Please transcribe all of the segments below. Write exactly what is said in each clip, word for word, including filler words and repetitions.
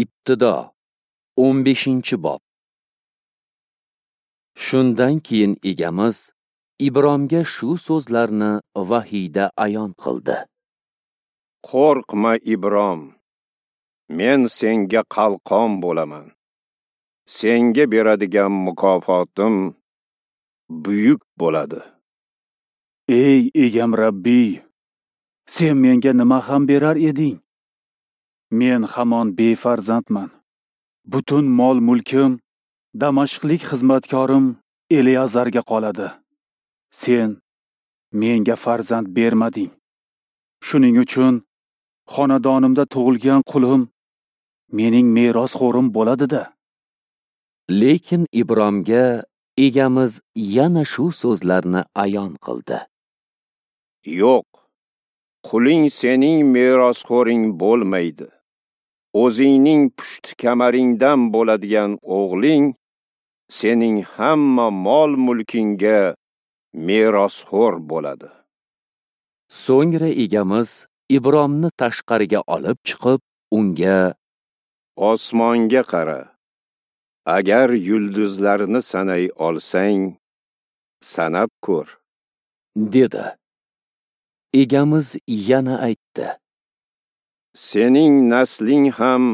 Ibtido o'n beshinchi bob. Shundan keyin Egamiz Ibromga shu so'zlarni vahiyda ayon qildi. Qo'rqma Ibrom, men senga qalqon bo'laman. Senga beradigan mukofotim buyuk bo'ladi. Ey Egam Rabbiy, sen menga nima ham berar eding? Men hamon befarzandman. Butun mol-mulkim Damashqlik xizmatkorim Eliazarga qoladi. Sen menga farzand bermading. Shuning uchun xonadonimda tug'ilgan qulim mening merosxo'rim bo'ladi-da. Lekin Ibromga Egamiz yana shu so'zlarni ayon qildi. Yo'q, quling sening merosxo'ring bo'lmaydi. O'zingning pushti kamaringdan bo'ladigan o'g'ling sening hamma mol-mulkingga merosxo'r bo'ladi. So'ngra Egamiz Ibromni tashqariga olib chiqib, unga: Osmonga qara. Agar yulduzlarni sanay olsang, sanab ko'r, dedi. Egamiz yana aytdi: Sening nasling ham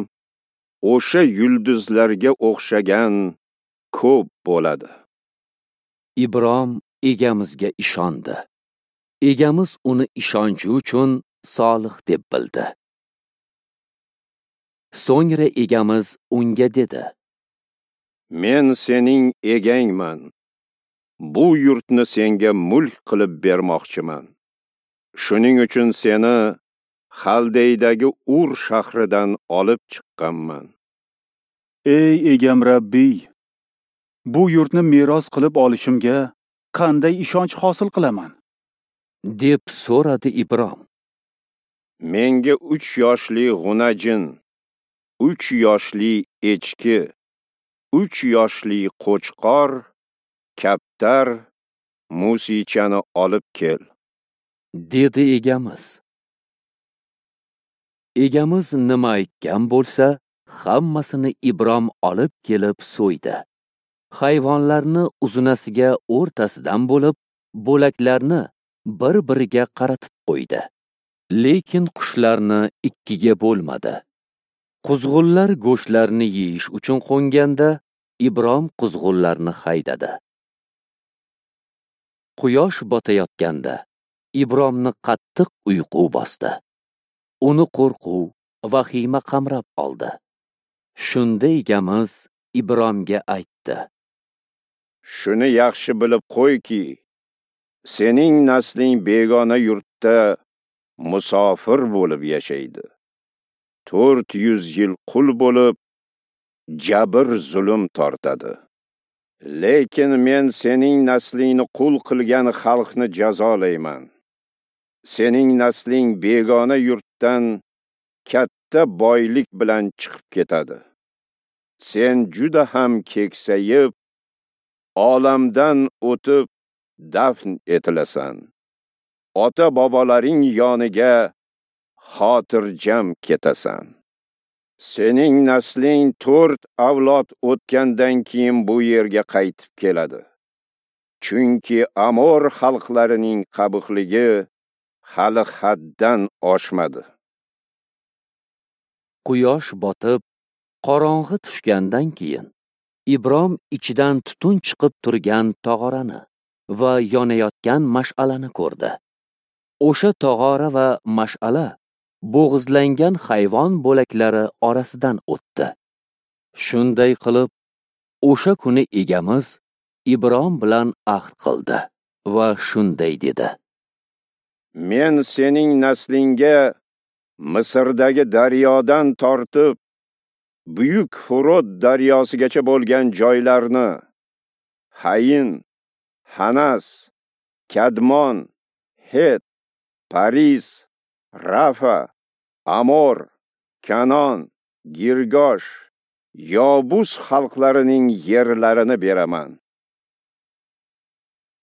o'sha yulduzlarga o'xshagan ko'p bo'ladi. Ibrom Egamizga ishondi. Egamiz uni ishonchi uchun solih deb bildi. So'ngra Egamiz unga dedi: Men sening egangman. Bu yurtni senga mulk qilib bermoqchiman. Shuning uchun seni Xaldeydagi Ur shahridan olib chiqqanman. Ey Egam Rabbiy, bu yurtni meros qilib olishimga qanday ishonch hosil qilaman? Deb so'radi Ibrom. Menga uch yoshli g'unajin, uch yoshli echki, uch yoshli qo'chqor, kaptar, musichani olib kel, dedi Egamiz. Egamiz nima aytgan bo'lsa, hammasini Ibrom olib kelib so'ydi. Hayvonlarni uzunasiga o'rtasidan bo'lib, bo'laklarni bir-biriga qaratib qo'ydi. Lekin qushlarni ikkiga bo'lmadi. Quzg'unlar go'shtlarni yeyish uchun qo'nganda, Ibrom quzg'unlarni haydadi. Quyosh botayotganda Ibromni qattiq uyqu bosdi. Uni qo'rquv, vahima qamrab oldi. Shunda Egamiz Ibromga aytdi: Shuni yaxshi bilib qo'yki, sening nasling begona yurtda musofir bo'lib yashaydi. To'rt yuz yil qul bo'lib, jabr zulm tortadi. Lekin men sening naslingni qul qilgan xalqni jazolayman. Sening nasling begona yurtdan katta boylik bilan chiqib ketadi. Sen juda ham keksayib, olamdan o'tib dafn etilasan. Ota-bobolaring yoniga xotirjam ketasan. Sening nasling to'rt avlod o'tgandan keyin bu yerga qaytib keladi. Chunki Amor xalqlarining qabihligi hali haddan oshmadi. Quyosh botib, qorong'i tushgandan keyin Ibrom ichidan tutun chiqib turgan tog'orani va yonayotgan mash'alani ko'rdi. O'sha tog'ora va mash'ala bo'g'izlangan hayvon bo'laklari orasidan o'tdi. Shunday qilib, o'sha kuni Egamiz Ibrom bilan ahd qildi va shunday dedi: Men sening naslingga Misrdagi daryodan tortib buyuk Furot daryosigacha bo'lgan joylarni, Hayin, Hanas, Kadmon, Het, Paris, Rafa, Amor, Kanon, Girgosh, Yobus xalqlarining yerlarini beraman.